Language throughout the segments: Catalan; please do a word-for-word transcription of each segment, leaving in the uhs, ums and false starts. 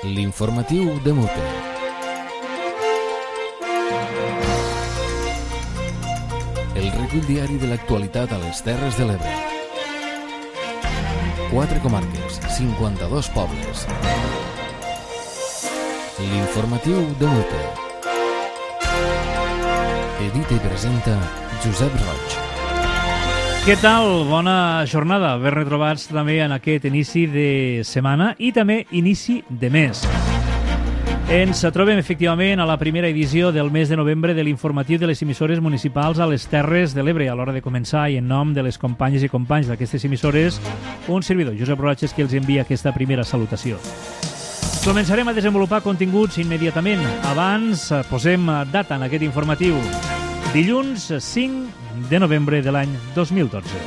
L'informatiu de Mute. El recull diari de l'actualitat a les Terres de l'Ebre. Quatre comarques, cinquanta-dos pobles. L'informatiu de Mute. Edita i presenta Josep Roig. Què tal? Bona jornada. Ben retrobats també en aquest inici de setmana i també inici de mes. Ens trobem efectivament a la primera edició del mes de novembre de l'informatiu de les emissores municipals a les Terres de l'Ebre. A l'hora de començar i en nom de les companyes i companys d'aquestes emissores, un servidor, Josep Roig, que els envia aquesta primera salutació. Començarem a desenvolupar continguts immediatament. Abans posem data en aquest informatiu. Dilluns cinc de novembre de l'any dos mil dotze.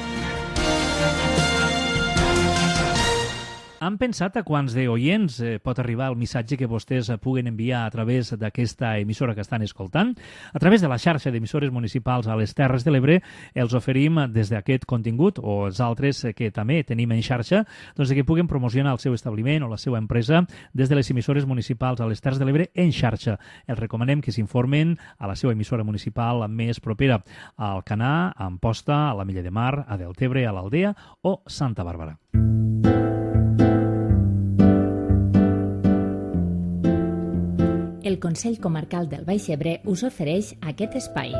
Han pensat a quants d'oients eh, pot arribar el missatge que vostès puguen enviar a través d'aquesta emissora que estan escoltant? A través de la xarxa d'emissores municipals a les Terres de l'Ebre els oferim des d'aquest contingut o els altres que també tenim en xarxa, doncs que puguen promocionar el seu establiment o la seva empresa des de les emissores municipals a les Terres de l'Ebre en xarxa. Els recomanem que s'informen a la seva emissora municipal més propera, a Alcanar, a Amposta, a la Milla de Mar, a Deltebre, a l'Aldea o Santa Bàrbara. El Consell Comarcal del Baix Ebre us ofereix aquest espai.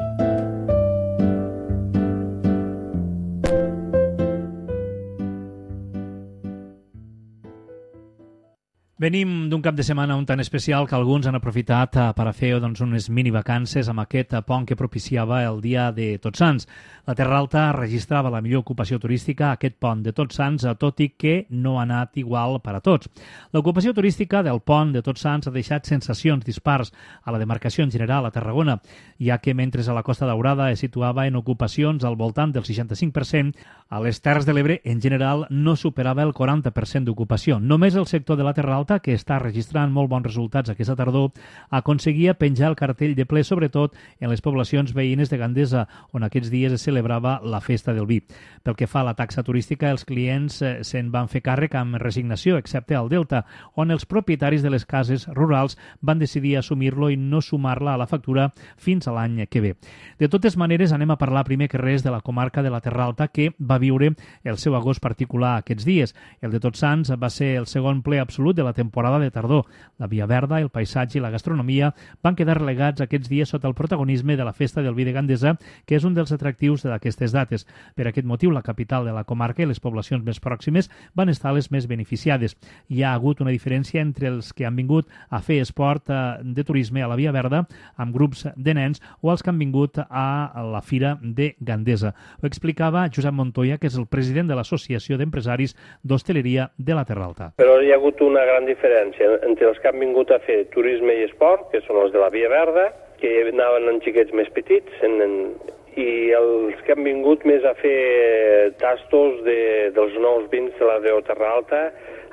Venim d'un cap de setmana un tan especial que alguns han aprofitat per a fer doncs, unes mini-vacances amb aquest pont que propiciava el dia de Tots Sants. La Terra Alta registrava la millor ocupació turística a aquest pont de Tots Sants, tot i que no ha anat igual per a tots. L'ocupació turística del pont de Tots Sants ha deixat sensacions dispars a la demarcació en general a Tarragona, ja que mentre a la Costa Daurada es situava en ocupacions al voltant del seixanta-cinc per cent, a les Terres de l'Ebre en general no superava el quaranta per cent d'ocupació. Només el sector de la Terra Alta, que està registrant molt bons resultats aquesta tardor, aconseguia penjar el cartell de ple, sobretot en les poblacions veïnes de Gandesa, on aquests dies es celebrava la festa del vi. Pel que fa a la taxa turística, els clients eh, se'n van fer càrrec amb resignació, excepte al Delta, on els propietaris de les cases rurals van decidir assumir-lo i no sumar-la a la factura fins a l'any que ve. De totes maneres, anem a parlar primer que res de la comarca de la Terra Alta, que va viure el seu agost particular aquests dies. El de Tots Sants va ser el segon ple absolut de la temporada de tardor. La Via Verda, el paisatge i la gastronomia van quedar relegats aquests dies sota el protagonisme de la festa del vi de Gandesa, que és un dels atractius d'aquestes dates. Per aquest motiu, la capital de la comarca i les poblacions més pròximes van estar les més beneficiades. Hi ha hagut una diferència entre els que han vingut a fer esport de turisme a la Via Verda amb grups de nens o els que han vingut a la Fira de Gandesa. Ho explicava Josep Montoya, que és el president de l'Associació d'Empresaris d'Hostaleria de la Terra Alta. Però hi ha hagut una gran diferència entre els que han vingut a fer turisme i esport, que són els de la Via Verda, que anaven en xiquets més petits, en, en, i els que han vingut més a fer tastos de, dels nous vins de la Déu Terra Alta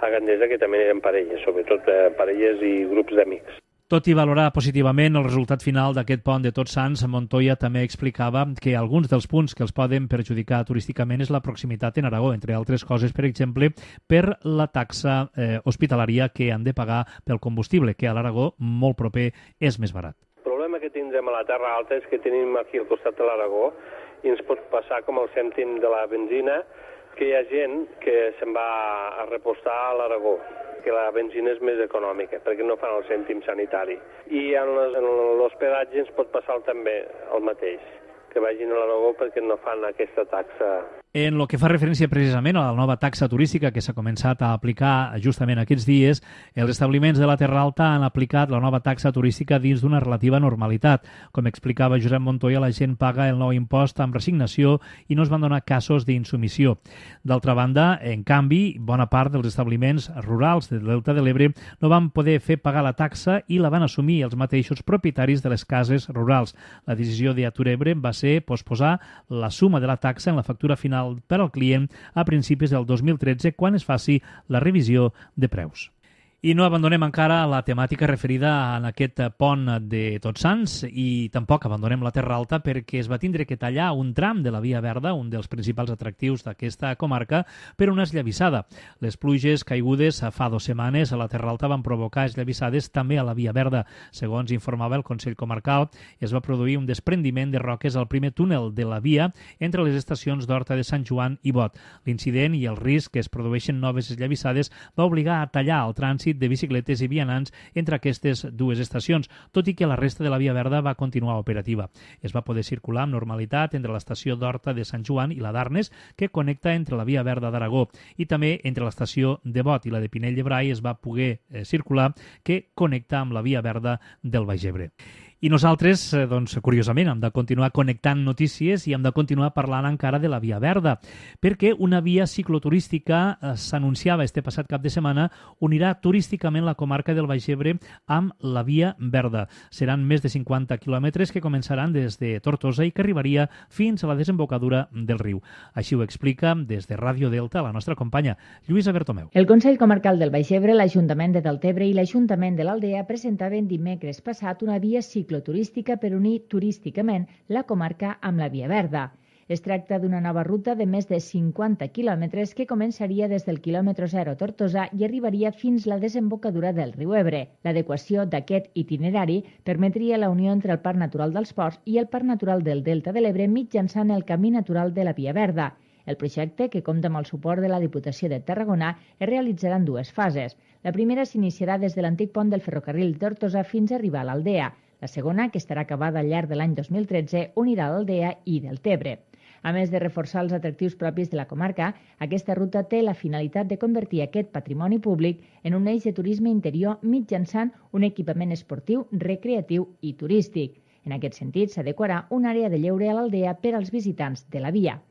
a Gandesa, que també eren parelles, sobretot eh, parelles i grups d'amics. Tot i valorar positivament el resultat final d'aquest pont de Tots Sants, Montoya també explicava que alguns dels punts que els poden perjudicar turísticament és la proximitat en Aragó, entre altres coses, per exemple, per la taxa eh, hospitalària que han de pagar pel combustible, que a l'Aragó, molt proper, és més barat. El problema que tindrem a la Terra Alta és que tenim aquí al costat de l'Aragó i ens pot passar com el cèntim de la benzina, que hi ha gent que se'n va a repostar a l'Aragó, que la benzina és més econòmica, perquè no fan el cèntim sanitari. I en l'hospedatge ens pot passar també el mateix, que vagin a l'Aragó perquè no fan aquesta taxa. En el que fa referència precisament a la nova taxa turística que s'ha començat a aplicar justament aquests dies, els establiments de la Terra Alta han aplicat la nova taxa turística dins d'una relativa normalitat. Com explicava Josep Montoya, la gent paga el nou impost amb resignació i no es van donar casos d'insumissió. D'altra banda, en canvi, bona part dels establiments rurals del Delta de l'Ebre no van poder fer pagar la taxa i la van assumir els mateixos propietaris de les cases rurals. La decisió d'Aturebre va ser posposar la suma de la taxa en la factura final per al client a principis del dos mil tretze, quan es faci la revisió de preus. I no abandonem encara la temàtica referida a aquest pont de Tots Sants i tampoc abandonem la Terra Alta perquè es va tindre que tallar un tram de la Via Verda, un dels principals atractius d'aquesta comarca, per una esllavissada. Les pluges caigudes fa dues setmanes a la Terra Alta van provocar esllavissades també a la Via Verda. Segons informava el Consell Comarcal, es va produir un desprendiment de roques al primer túnel de la via entre les estacions d'Horta de Sant Joan i Bot. L'incident i el risc que es produeixen noves esllavissades va obligar a tallar el trànsit de bicicletes i vianants entre aquestes dues estacions, tot i que la resta de la Via Verda va continuar operativa. Es va poder circular amb normalitat entre l'estació d'Horta de Sant Joan i la d'Arnes, que connecta entre la Via Verda d'Aragó, i també entre l'estació de Bot i la de Pinell de Brai es va poder eh, circular, que connecta amb la Via Verda del Baix Ebre. I nosaltres, doncs, curiosament, hem de continuar connectant notícies i hem de continuar parlant encara de la Via Verda, perquè una via cicloturística eh, s'anunciava este passat cap de setmana unirà turísticament la comarca del Baix Ebre amb la Via Verda. Seran més de cinquanta quilòmetres que començaran des de Tortosa i que arribaria fins a la desembocadura del riu. Així ho explica des de Ràdio Delta la nostra companya Lluïsa Bertomeu. El Consell Comarcal del Baix Ebre, l'Ajuntament de Deltebre i l'Ajuntament de l'Aldea presentaven dimecres passat una via cicloturística turística per unir turísticament la comarca amb la Via Verda. Es tracta d'una nova ruta de més de cinquanta quilòmetres que començaria des del quilòmetre zero a Tortosa i arribaria fins a la desembocadura del riu Ebre. L'adequació d'aquest itinerari permetria la unió entre el Parc Natural dels Ports i el Parc Natural del Delta de l'Ebre mitjançant el camí natural de la Via Verda. El projecte, que compta amb el suport de la Diputació de Tarragona, es realitzarà en dues fases. La primera s'iniciarà des de l'antic pont del ferrocarril de Tortosa fins a arribar a l'Aldea. La segona, que estarà acabada al llarg de l'any dos mil tretze, unirà l'Aldea i Deltebre. A més de reforçar els atractius propis de la comarca, aquesta ruta té la finalitat de convertir aquest patrimoni públic en un eix de turisme interior mitjançant un equipament esportiu, recreatiu i turístic. En aquest sentit, s'adequarà una àrea de lleure a l'Aldea per als visitants de la via.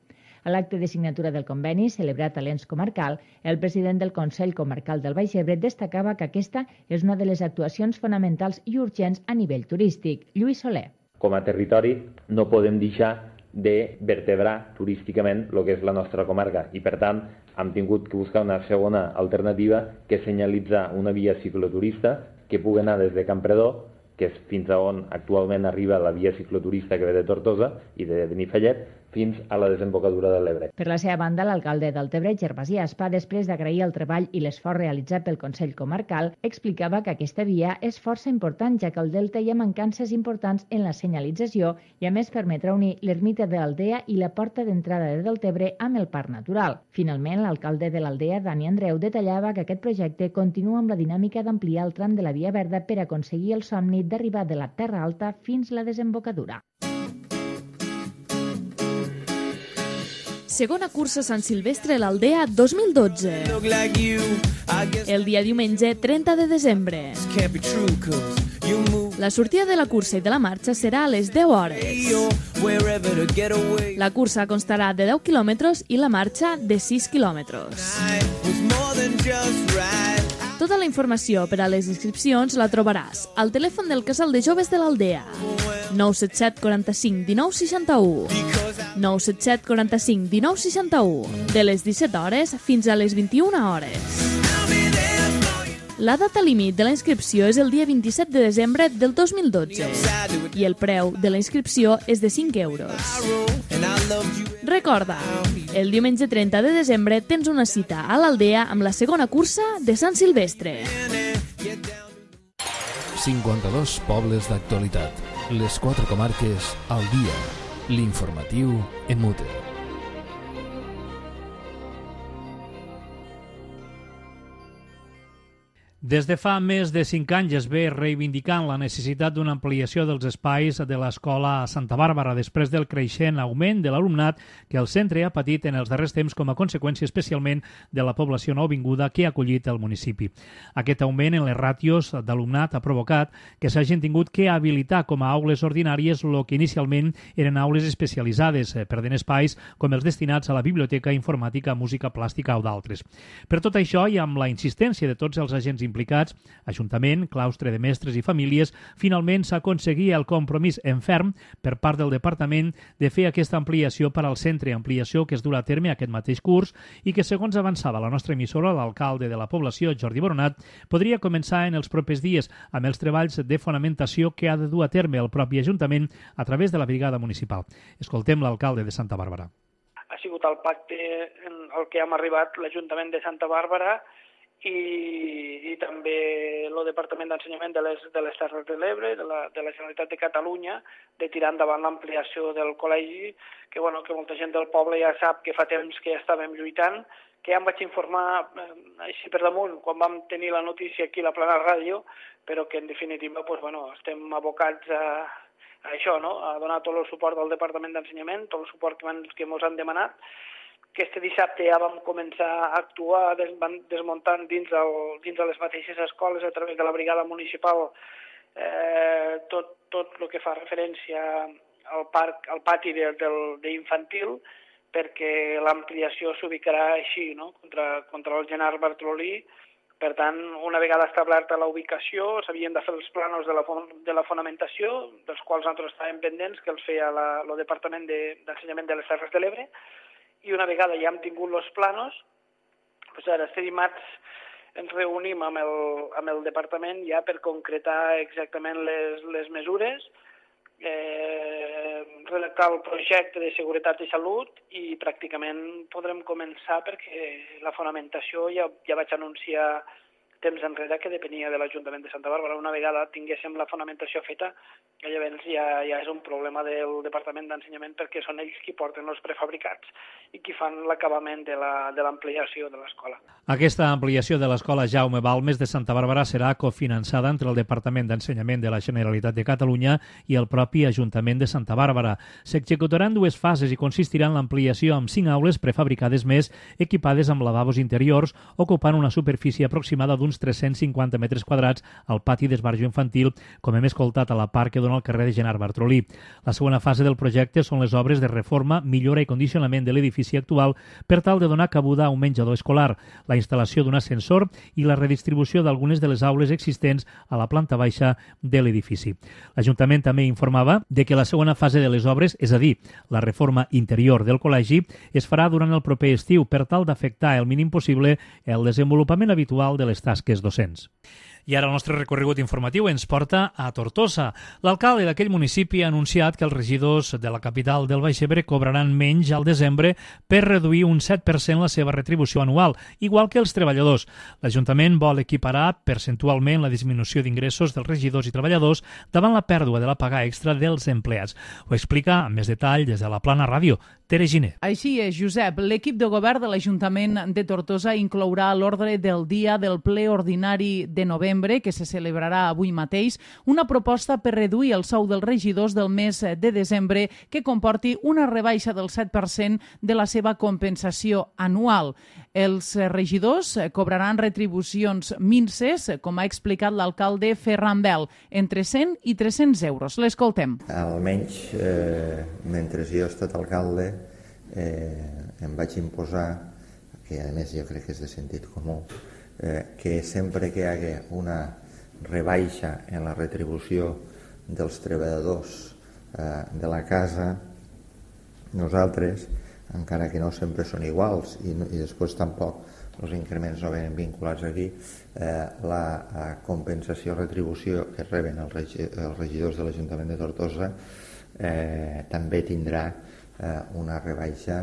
A l'acte de signatura del conveni, celebrat a l'Ens Comarcal, el president del Consell Comarcal del Baix Ebre destacava que aquesta és una de les actuacions fonamentals i urgents a nivell turístic. Lluís Soler. Com a territori no podem deixar de vertebrar turísticament el que és la nostra comarca i, per tant, hem tingut que buscar una segona alternativa que senyalitza una via cicloturista que pugui anar des de Campredó, que és fins a on actualment arriba la via cicloturista que ve de Tortosa i de Benifallet, fins a la desembocadura de l'Ebre. Per la seva banda, l'alcalde del Deltebre, Gervasi Aspa, després d'agrair el treball i l'esforç realitzat pel Consell Comarcal, explicava que aquesta via és força important, ja que al Delta hi ha mancances importants en la senyalització i a més permetrà unir l'ermita de l'Aldea i la porta d'entrada de Deltebre amb el Parc Natural. Finalment, l'alcalde de l'Aldea, Dani Andreu, detallava que aquest projecte continua amb la dinàmica d'ampliar el tram de la Via Verda per aconseguir el somni d'arribar de la Terra Alta fins a la desembocadura. Segona cursa Sant Silvestre a l'Aldea dos mil dotze. El dia diumenge trenta de desembre. La sortida de la cursa i de la marxa serà a les deu hores. La cursa constarà de deu quilòmetres i la marxa de sis quilòmetres. Tota la informació per a les inscripcions la trobaràs al telèfon del Casal de Joves de l'Aldea, nou set set quaranta-cinc dinou seixanta-u, nou set set quaranta-cinc dinou seixanta-u, de les disset hores fins a les vint-i-una hores. La data límit de la inscripció és el dia vint-i-set de desembre del dos mil dotze i el preu de la inscripció és de cinc euros. Recorda, el diumenge trenta de desembre tens una cita a l'Aldea amb la segona cursa de Sant Silvestre. cinquanta-dos pobles d'actualitat. Les quatre comarques al dia. L'informatiu en mute. Des de fa més de cinc anys es ve reivindicant la necessitat d'una ampliació dels espais de l'Escola Santa Bàrbara després del creixent augment de l'alumnat que el centre ha patit en els darrers temps com a conseqüència especialment de la població nouvinguda que ha acollit el municipi. Aquest augment en les ràtios d'alumnat ha provocat que s'hagin tingut que habilitar com a aules ordinàries el que inicialment eren aules especialitzades, perdent espais com els destinats a la biblioteca, informàtica, música plàstica o d'altres. Per tot això i amb la insistència de tots els agents implicats, Ajuntament, claustre de mestres i famílies, finalment s'aconseguia el compromís en ferm per part del Departament de fer aquesta ampliació per al centre, ampliació que es durà a terme aquest mateix curs i que, segons avançava la nostra emissora, l'alcalde de la població, Jordi Boronat, podria començar en els propers dies amb els treballs de fonamentació que ha de dur a terme el propi Ajuntament a través de la brigada municipal. Escoltem l'alcalde de Santa Bàrbara. Ha sigut el pacte en el que hem arribat l'Ajuntament de Santa Bàrbara i, i també el Departament d'Ensenyament de les, de les Terres de l'Ebre, de la, de la Generalitat de Catalunya, de tirar endavant l'ampliació del col·legi, que, bueno, que molta gent del poble ja sap que fa temps que estàvem lluitant, que ja em vaig informar eh, així per damunt quan vam tenir la notícia aquí a la Plana Ràdio, però que en definitiva pues, bueno, estem abocats a, a això, no? A donar tot el suport del Departament d'Ensenyament, tot el suport que, van, que ens han demanat. Aquest dissabte ja vam començar a actuar desmuntant dins, el, dins de les mateixes escoles a través de la brigada municipal eh, tot, tot el que fa referència al, parc, al pati de, del, d'infantil, perquè l'ampliació s'ubicarà així, no? contra, contra el Gerard Bartolí. Per tant, una vegada establerta la ubicació, s'havien de fer els planos de la, de la fonamentació, dels quals nosaltres estàvem pendents, que els feia la, el Departament de, d'Ensenyament de les Terres de l'Ebre, i una vegada ja hem tingut els planos, doncs ara este dimarts ens reunim amb el, amb el departament ja per concretar exactament les, les mesures, eh, redactar el projecte de seguretat i salut i pràcticament podrem començar perquè la fonamentació ja, ja vaig anunciar temps enrere que depenia de l'Ajuntament de Santa Bàrbara. Una vegada tinguéssim la fonamentació feta, llavors ja, ja és un problema del Departament d'Ensenyament perquè són ells qui porten els prefabricats i qui fan l'acabament de l'ampliació de l'escola. Aquesta ampliació de l'escola Jaume Balmes de Santa Bàrbara serà cofinançada entre el Departament d'Ensenyament de la Generalitat de Catalunya i el propi Ajuntament de Santa Bàrbara. S'executaran dues fases i consistirà en l'ampliació amb cinc aules prefabricades més equipades amb lavabos interiors, ocupant una superfície aproximada d'uns tres-cents cinquanta metres quadrats al pati d'esbarjo infantil, com hem escoltat a la part que dona al carrer de Gerard Bartolí. La segona fase del projecte són les obres de reforma, millora i condicionament de l'edifici actual per tal de donar cabuda a un menjador escolar, la instal·lació d'un ascensor i la redistribució d'algunes de les aules existents a la planta baixa de l'edifici. L'Ajuntament també informava de que la segona fase de les obres, és a dir, la reforma interior del col·legi, es farà durant el proper estiu per tal d'afectar el mínim possible el desenvolupament habitual de les tasques docents. I ara el nostre recorregut informatiu ens porta a Tortosa. L'alcalde d'aquell municipi ha anunciat que els regidors de la capital del Baix Ebre cobraran menys al desembre per reduir un set per cent la seva retribució anual, igual que els treballadors. L'Ajuntament vol equiparar percentualment la disminució d'ingressos dels regidors i treballadors davant la pèrdua de la paga extra dels empleats. Ho explica amb més detall des de la Plana Ràdio, Tere Giner. Així és, Josep. L'equip de govern de l'Ajuntament de Tortosa inclourà a l'ordre del dia del ple ordinari de novembre, que se celebrarà avui mateix, una proposta per reduir el sou dels regidors del mes de desembre que comporti una rebaixa del set per cent de la seva compensació anual. Els regidors cobraran retribucions minses, com ha explicat l'alcalde Ferran Bel, entre cent i tres-cents euros. L'escoltem. Almenys, eh, mentre jo he estat alcalde, eh, em vaig imposar, que a més jo crec que és de sentit comú, eh, que sempre que hi hagi una rebaixa en la retribució dels treballadors eh, de la casa, nosaltres, encara que no sempre són iguals i, i després tampoc els increments no venen vinculats aquí, eh, la, la compensació retribució que reben els, regi els regidors de l'Ajuntament de Tortosa eh, també tindrà eh, una rebaixa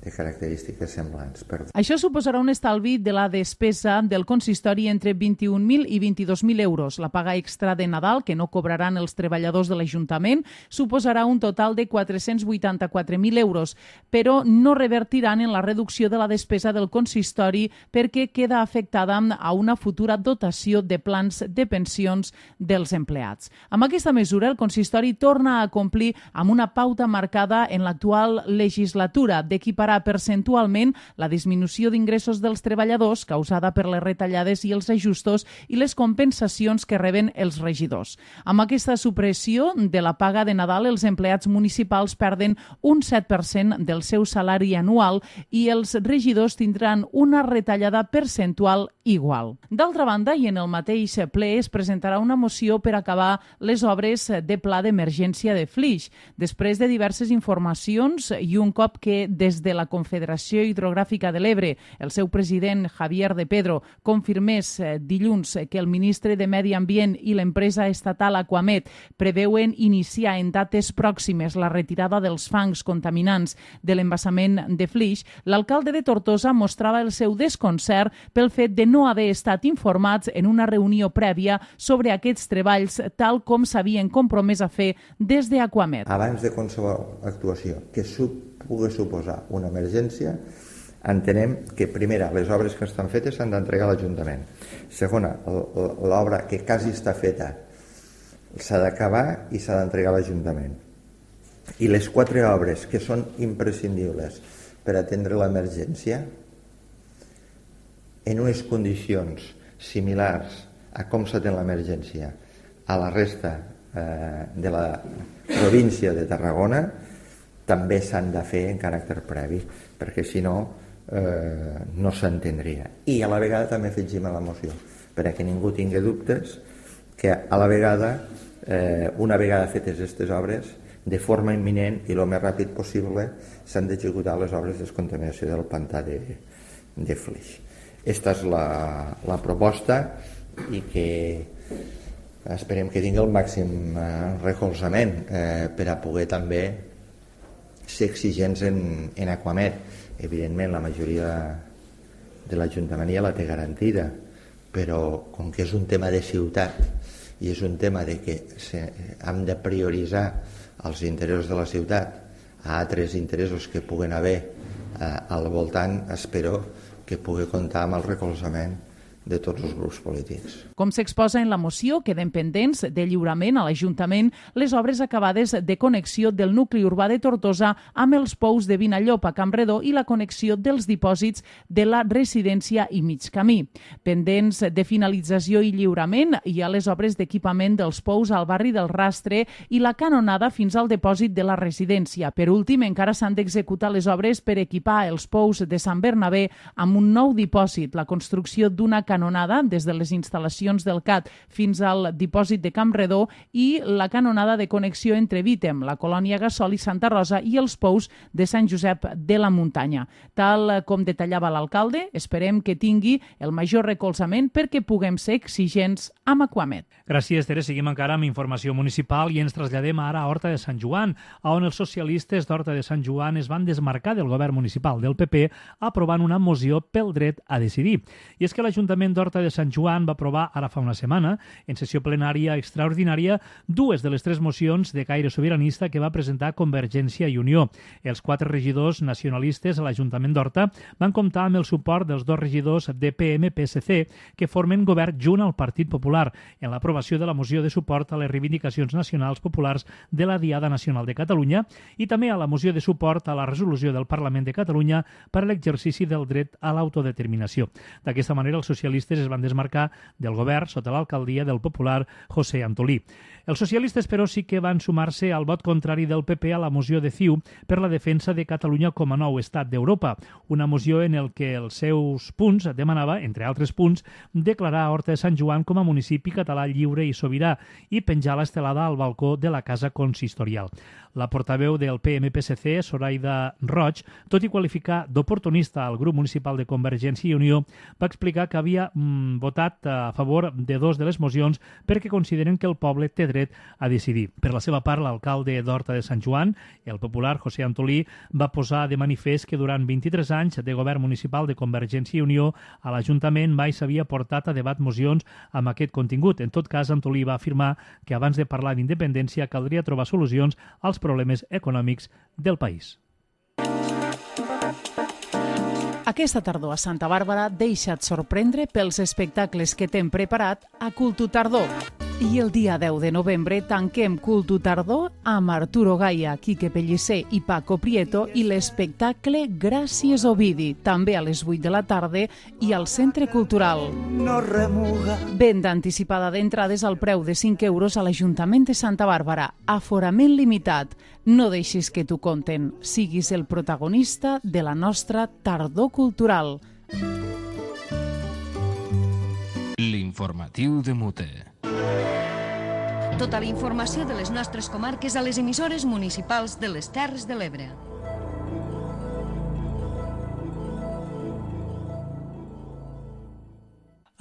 de característiques semblants. Perdó. Això suposarà un estalvi de la despesa del consistori entre vint-i-un mil i vint-i-dos mil euros. La paga extra de Nadal, que no cobraran els treballadors de l'Ajuntament, suposarà un total de quatre-cents vuitanta-quatre mil euros, però no revertiran en la reducció de la despesa del consistori perquè queda afectada a una futura dotació de plans de pensions dels empleats. Amb aquesta mesura, el consistori torna a complir amb una pauta marcada en l'actual legislatura d'equipar equiparar percentualment la disminució d'ingressos dels treballadors causada per les retallades i els ajustos i les compensacions que reben els regidors. Amb aquesta supressió de la paga de Nadal, els empleats municipals perden un set per cent del seu salari anual i els regidors tindran una retallada percentual igual. D'altra banda, i en el mateix ple es presentarà una moció per acabar les obres de pla d'emergència de Flix. Després de diverses informacions i un cop que des de la Confederació Hidrogràfica de l'Ebre el seu president Javier de Pedro confirmés dilluns que el ministre de Medi Ambient i l'empresa estatal Aquamet preveuen iniciar en dates pròximes la retirada dels fangs contaminants de l'embassament de Flix, l'alcalde de Tortosa mostrava el seu desconcert pel fet de no haver estat informats en una reunió prèvia sobre aquests treballs tal com s'havien compromès a fer des d'Aquamet. Abans de qualsevol actuació que pugui suposar una emergència, entenem que, primera, les obres que estan fetes s'han d'entregar a l'Ajuntament. Segona, l'obra que quasi està feta s'ha d'acabar i s'ha d'entregar a l'Ajuntament. I les quatre obres que són imprescindibles per atendre l'emergència, en unes condicions similars a com s'atén l'emergència a la resta eh, de la província de Tarragona, també s'han de fer en caràcter previ, perquè si no, eh, no s'entendria. I a la vegada també afegim a la moció, perquè ningú tingui dubtes, que a la vegada, eh, una vegada fetes aquestes obres, de forma imminent i el més ràpid possible, s'han d'executar les obres de descontaminació del pantà de, de Flix. Aquesta és la, la proposta i que esperem que tingui el màxim eh, recolzament eh, per a poder també ser exigents en, en Aquamet. Evidentment, la majoria de l'Ajuntament ja la té garantida, però com que és un tema de ciutat i és un tema de que se, hem de prioritzar els interessos de la ciutat a altres interessos que puguen haver eh, al voltant, espero que pugui comptar amb el recolzament de tots els grups polítics. Com s'exposa en la moció, queden pendents de lliurament a l'Ajuntament les obres acabades de connexió del nucli urbà de Tortosa amb els pous de Vinallop a Campredó i la connexió dels dipòsits de la residència i mig camí. Pendents de finalització i lliurament hi ha les obres d'equipament dels pous al barri del Rastre i la canonada fins al dipòsit de la residència. Per últim, encara s'han d'executar les obres per equipar els pous de Sant Bernabé amb un nou dipòsit, la construcció d'una canonada des de les instal·lacions del C A T fins al dipòsit de Campredó i la canonada de connexió entre Vítem, la colònia Gassol i Santa Rosa i els pous de Sant Josep de la Muntanya. Tal com detallava l'alcalde, esperem que tingui el major recolzament perquè puguem ser exigents amb Aquamet. Gràcies, Tere. Seguim encara amb informació municipal i ens traslladem ara a Horta de Sant Joan, on els socialistes d'Horta de Sant Joan es van desmarcar del govern municipal del P P aprovant una moció pel dret a decidir. I és que l'Ajuntament d'Horta de Sant Joan va aprovar ara fa una setmana, en sessió plenària extraordinària, dues de les tres mocions de caire sobiranista que va presentar Convergència i Unió. Els quatre regidors nacionalistes a l'Ajuntament d'Horta van comptar amb el suport dels dos regidors de P M P S C que formen govern junt al Partit Popular en l'aprovació de la moció de suport a les reivindicacions nacionals populars de la Diada Nacional de Catalunya i també a la moció de suport a la resolució del Parlament de Catalunya per a l'exercici del dret a l'autodeterminació. D'aquesta manera, els socialistes es van desmarcar del govern sota l'alcaldia del popular José Antolí. Els socialistes, però, sí que van sumar-se al vot contrari del P P a la moció de C I U per la defensa de Catalunya com a nou estat d'Europa, una moció en el que els seus punts demanava, entre altres punts, declarar Horta de Sant Joan com a municipi català lliure i sobirà i penjar l'estelada al balcó de la casa consistorial. La portaveu del P M P S C, Zoraida Roig, tot i qualificar d'oportunista al grup municipal de Convergència i Unió, va explicar que havia mm, votat a favor de dos de les mocions perquè consideren que el poble té dret a decidir. Per la seva part, l'alcalde d'Horta de Sant Joan, el popular José Antolí, va posar de manifest que durant vint-i-tres anys de govern municipal de Convergència i Unió a l'Ajuntament mai s'havia portat a debat mocions amb aquest contingut. En tot cas, Antolí va afirmar que abans de parlar d'independència caldria trobar solucions als problemes econòmics del país. Aquesta tardor a Santa Bàrbara deixa't sorprendre pels espectacles que t'hem preparat a Cultu Tardor. I el dia deu de novembre tanquem Cultu Tardor amb Arturo Gaia, Quique Pellicer i Paco Prieto i l'espectacle Gràcies Ovidi, també a les vuit de la tarda i al Centre Cultural. No remuga. Venda anticipada d'entrades al preu de cinc euros a l'Ajuntament de Santa Bàrbara. Aforament limitat. No deixis que t'ho conten. Siguis el protagonista de la nostra tardor cultural. L'informatiu de Mute. Tota la informació de les nostres comarques a les emissores municipals de les Terres de l'Ebre.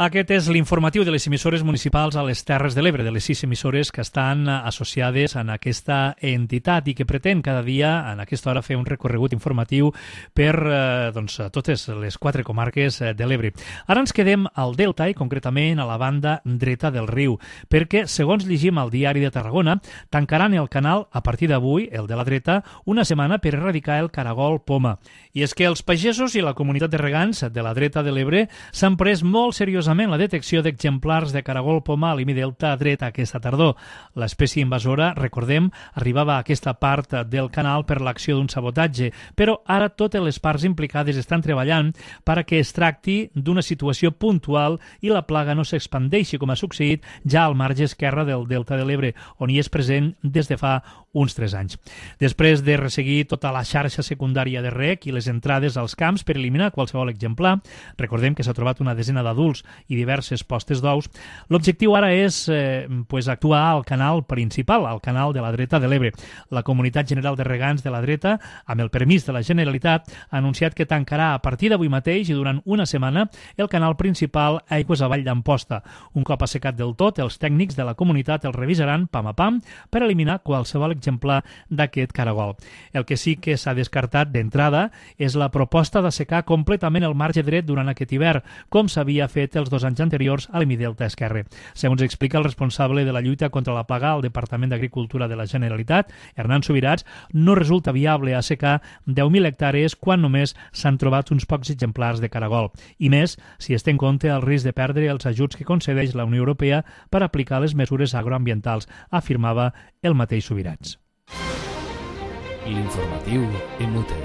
Aquest és l'informatiu de les emissores municipals a les Terres de l'Ebre, de les sis emissores que estan associades en aquesta entitat i que pretén cada dia, en aquesta hora, fer un recorregut informatiu per eh, doncs, totes les quatre comarques de l'Ebre. Ara ens quedem al Delta i concretament a la banda dreta del riu, perquè, segons llegim al Diari de Tarragona, tancaran el canal a partir d'avui, el de la dreta, una setmana per erradicar el caragol poma. I és que els pagesos i la comunitat de regants de la dreta de l'Ebre s'han pres molt seriosament la detecció d'exemplars de caragol poma a l'Imi Delta dret aquesta tardor. L'espècie invasora, recordem, arribava a aquesta part del canal per l'acció d'un sabotatge, però ara totes les parts implicades estan treballant perquè es tracti d'una situació puntual i la plaga no s'expandeixi, com ha succeït ja al marge esquerre del Delta de l'Ebre, on hi és present des de fa uns tres anys. Després de resseguir tota la xarxa secundària de rec i les entrades als camps per eliminar qualsevol exemplar, recordem que s'ha trobat una desena d'adults i diverses postes d'ous, l'objectiu ara és eh, pues actuar al canal principal, al canal de la dreta de l'Ebre. La Comunitat General de Regants de la dreta, amb el permís de la Generalitat, ha anunciat que tancarà a partir d'avui mateix i durant una setmana el canal principal aigües avall d'Amposta. Un cop assecat del tot, els tècnics de la comunitat el revisaran pam a pam per eliminar qualsevol exemplar d'aquest caragol. El que sí que s'ha descartat d'entrada és la proposta d'assecar completament el marge dret durant aquest hivern, com s'havia fet els dos anys anteriors a l'Imi Delta esquerre. Segons explica el responsable de la lluita contra la plaga al Departament d'Agricultura de la Generalitat, Hernán Subirats, no resulta viable assecar deu mil hectàrees quan només s'han trobat uns pocs exemplars de caragol. I més, si es té en compte el risc de perdre els ajuts que concedeix la Unió Europea per aplicar les mesures agroambientals, afirmava el mateix Subirats. L'informatiu en Mute.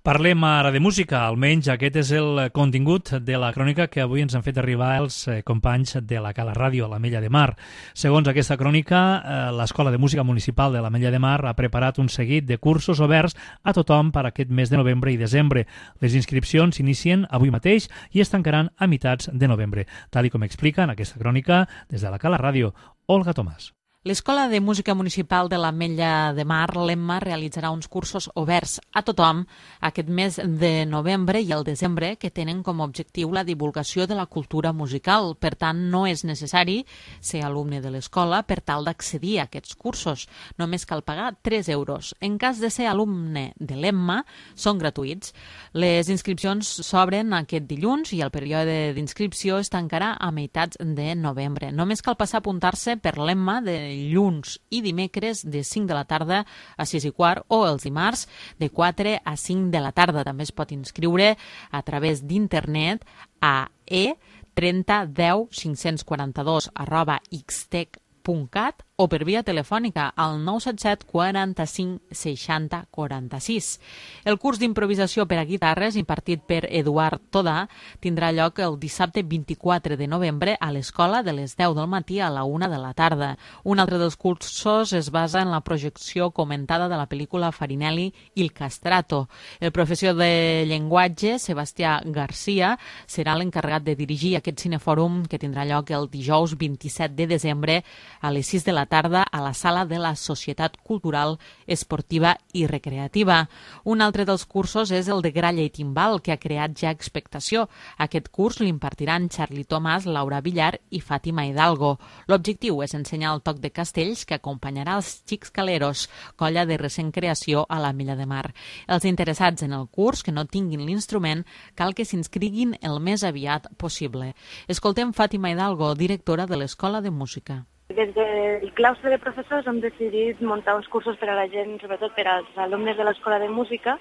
Parlem ara de música, almenys aquest és el contingut de la crònica que avui ens han fet arribar els companys de la Cala Ràdio, a l'Ametlla de Mar. Segons aquesta crònica, l'Escola de Música Municipal de l'Ametlla de Mar ha preparat un seguit de cursos oberts a tothom per aquest mes de novembre i desembre. Les inscripcions s'inicien avui mateix i es tancaran a meitats de novembre, tal com explica en aquesta crònica des de la Cala Ràdio, Olga Tomàs. L'Escola de Música Municipal de l'Ametlla de Mar, l'Emma, realitzarà uns cursos oberts a tothom aquest mes de novembre i el desembre que tenen com a objectiu la divulgació de la cultura musical. Per tant, no és necessari ser alumne de l'escola per tal d'accedir a aquests cursos. Només cal pagar tres euros. En cas de ser alumne de l'Emma, són gratuïts. Les inscripcions s'obren aquest dilluns i el període d'inscripció es tancarà a meitats de novembre. Només cal passar a apuntar-se per l'Emma de dilluns i dimecres de cinc de la tarda a sis i quart o els dimarts de quatre a cinc de la tarda. També es pot inscriure a través d'internet a e trenta deu cinc quaranta-dos arroba xtec punt cat o per via telefònica al nou set set quaranta-cinc seixanta quaranta-sis. El curs d'improvisació per a guitarres impartit per Eduard Todà tindrà lloc el dissabte vint-i-quatre de novembre a l'escola de les deu del matí a la una de la tarda. Un altre dels cursos es basa en la projecció comentada de la pel·lícula Farinelli Il Castrato. El professor de llenguatge, Sebastià Garcia, serà l'encarregat de dirigir aquest cinefòrum que tindrà lloc el dijous vint-i-set de desembre a les sis de la tarda a la sala de la Societat Cultural, Esportiva i Recreativa. Un altre dels cursos és el de gralla i timbal, que ha creat ja expectació. Aquest curs l'impartiran Charlie Tomàs, Laura Villar i Fàtima Hidalgo. L'objectiu és ensenyar el toc de castells que acompanyarà els Xics Caleros, colla de recent creació a l'Ametlla de Mar. Els interessats en el curs que no tinguin l'instrument cal que s'inscriguin el més aviat possible. Escoltem Fàtima Hidalgo, directora de l'Escola de Música. Des del claustre de professors hem decidit muntar uns cursos per a la gent, sobretot per als alumnes de l'Escola de Música,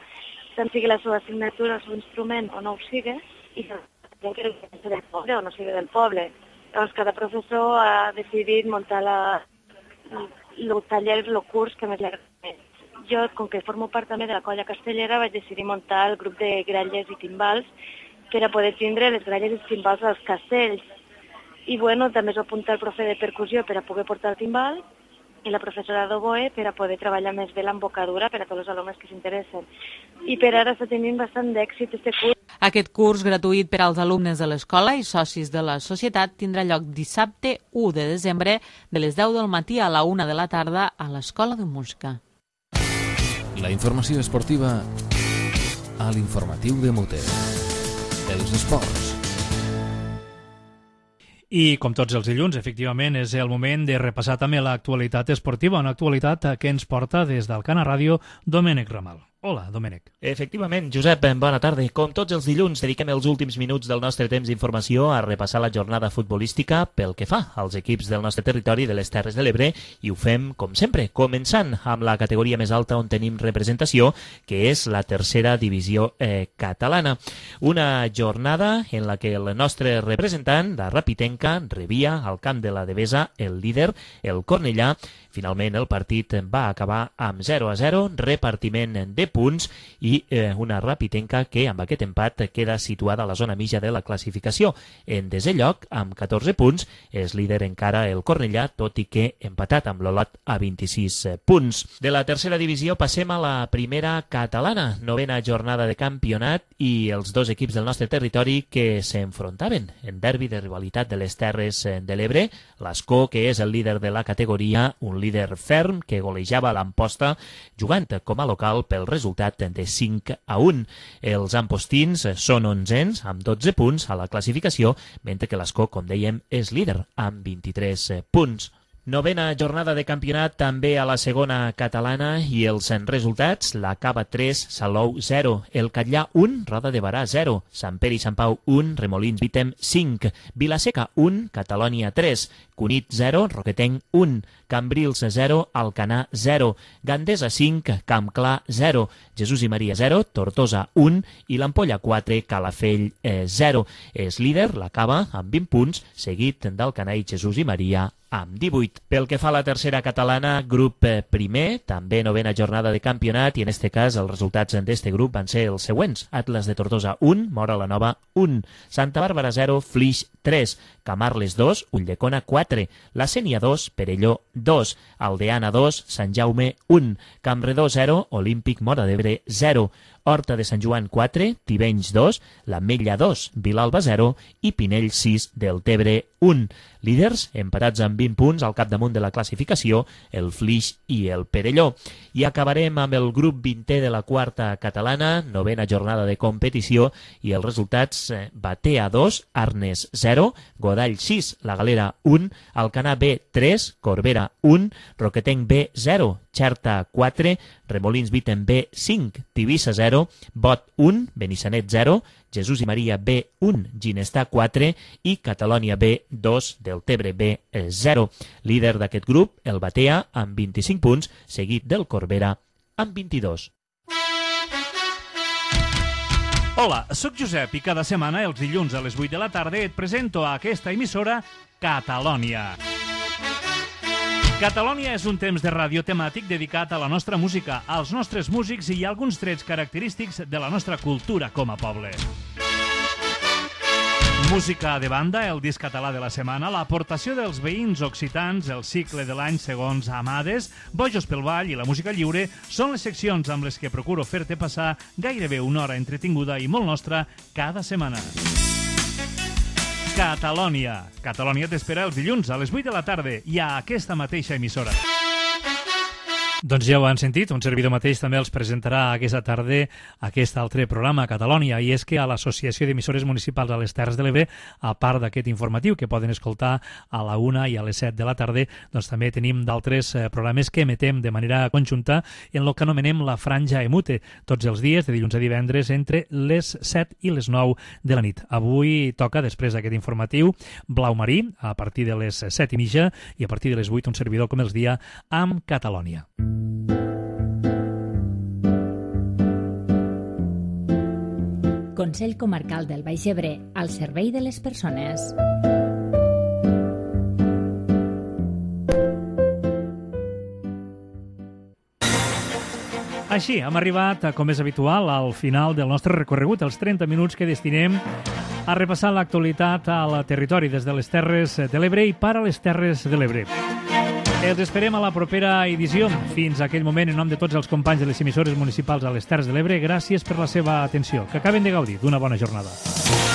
tant sigui la seva assignatura, el seu instrument o no ho sigui, i gent que no sigui del poble o no sigui del poble. Llavors, cada professor ha decidit muntar la, el taller, el curs que més li agrada més. Jo, com que formo part també de la colla castellera, vaig decidir muntar el grup de gralles i timbals per a poder tindre les gralles i timbals als castells. I bueno, també es va apuntar el profe de percussió per a poder portar el timbal i la professora d'oboe per a poder treballar més bé l'embocadura per a tots els alumnes que s'interessen. I per ara està tenint bastant d'èxit este curs. Aquest curs gratuït per als alumnes de l'escola i socis de la societat tindrà lloc dissabte u de desembre de les deu del matí a la una de la tarda a l'Escola de Música. La informació esportiva a l'informatiu de Mute. Els esports. I, com tots els dilluns, efectivament, és el moment de repassar també l'actualitat esportiva, una actualitat que ens porta des del Cana Ràdio Domènec Ramal. Hola, Domènec. Efectivament, Josep, bona tarda. Com tots els dilluns, dediquem els últims minuts del nostre temps d'informació a repassar la jornada futbolística pel que fa als equips del nostre territori de les Terres de l'Ebre i ho fem, com sempre, començant amb la categoria més alta on tenim representació, que és la tercera divisió eh, catalana. Una jornada en la que el nostre representant, la Rapitenca, rebia al camp de la Devesa el líder, el Cornellà. Finalment, el partit va acabar amb zero a zero, repartiment de punts i eh, una Rapitenca que amb aquest empat queda situada a la zona mitja de la classificació. En desè lloc, amb catorze punts, és líder encara el Cornellà, tot i que empatat amb l'Olot a vint-i-sis punts. De la tercera divisió passem a la primera catalana, novena jornada de campionat i els dos equips del nostre territori que s'enfrontaven en derbi de rivalitat de les Terres de l'Ebre. L'Escó, que és el líder de la categoria, un líder ferm que golejava l'Amposta jugant com a local pel resultat de cinc a un. Els ampostins són onzens amb dotze punts a la classificació, mentre que l'Escó, com dèiem, és líder amb vint-i-tres punts. Novena jornada de campionat també a la segona catalana i els resultats: la Cava tres, Salou zero, el Catllà un, Roda de Barà zero, Sant Pere i Sant Pau un, Remolins Vitem cinc, Vilaseca un, Catalònia tres, Cunit zero, Roquetenc un, Cambrils zero, Alcanar zero, Gandesa cinc, Campclar zero, Jesús i Maria zero, Tortosa un i l'Ampolla quatre, Calafell zero. És líder la Cava amb vint punts, seguit d'Alcanar i Jesús i Maria amb divuit. Pel que fa a la tercera catalana, grup primer, també novena jornada de campionat, i en este cas els resultats d'este grup van ser els següents: Atlas de Tortosa un, Mora la Nova un, Santa Bàrbara zero, Flix tres, Camarles dos, Ulldecona quatre, La Sénia dos, Perelló dos, Aldeana dos, Sant Jaume un, Campredó zero, Olímpic Móra d'Ebre zero, Horta de Sant Joan quatre, Tivenys dos, l'Ametlla dos, Vilalba zero i Pinell sis, Deltebre un. Líders empatats amb vint punts al capdamunt de la classificació, el Flix i el Perelló. I acabarem amb el grup vintè de la quarta catalana, novena jornada de competició, i els resultats: Batea dos, Arnes zero, Godall sis, La Galera un, Alcanar B tres, Corbera un, Roquetenc B zero, Xerta quatre, Remolins Vitem B cinc, Tivissa zero, Bot un, Benissanet zero, Jesús i Maria B un, Ginestà quatre i Catalònia B dos, Deltebre B zero. Líder d'aquest grup, el Batea, amb vint-i-cinc punts, seguit del Corbera amb vint-i-dos. Hola, sóc Josep i cada setmana, els dilluns a les vuit de la tarda, et presento a aquesta emissora Catalònia. Catalònia és un temps de ràdio temàtic dedicat a la nostra música, als nostres músics i a alguns trets característics de la nostra cultura com a poble. Música de banda, el disc català de la setmana, l'aportació dels veïns occitans, el cicle de l'any segons Amades, Bojos pel Ball i la música lliure són les seccions amb les que procuro fer-te passar gairebé una hora entretinguda i molt nostra cada setmana. Catalònia. Catalònia t'espera els dilluns a les vuit de la tarda i a aquesta mateixa emissora. Doncs ja ho han sentit, un servidor mateix també els presentarà aquesta tarda aquest altre programa, Catalònia, i és que a l'Associació d'Emissores Municipals a les Terres de l'Ebre, a part d'aquest informatiu que poden escoltar a la una i a les set de la tarda, doncs també tenim d'altres programes que emetem de manera conjunta en el que anomenem la Franja Emute, tots els dies, de dilluns a divendres, entre les set i les nou de la nit. Avui toca, després d'aquest informatiu, Blau Marí, a partir de les set i mitja, i a partir de les vuit un servidor com els dia amb Catalònia. Consell Comarcal del Baix Ebre, al servei de les persones. Així, hem arribat, com és habitual, al final del nostre recorregut, els trenta minuts que destinem a repassar l'actualitat al territori des de les Terres de l'Ebre i per a les Terres de l'Ebre. Els esperem a la propera edició. Fins a aquell moment, en nom de tots els companys de les emissores municipals a les Terres de l'Ebre, gràcies per la seva atenció. Que acaben de gaudir d'una bona jornada.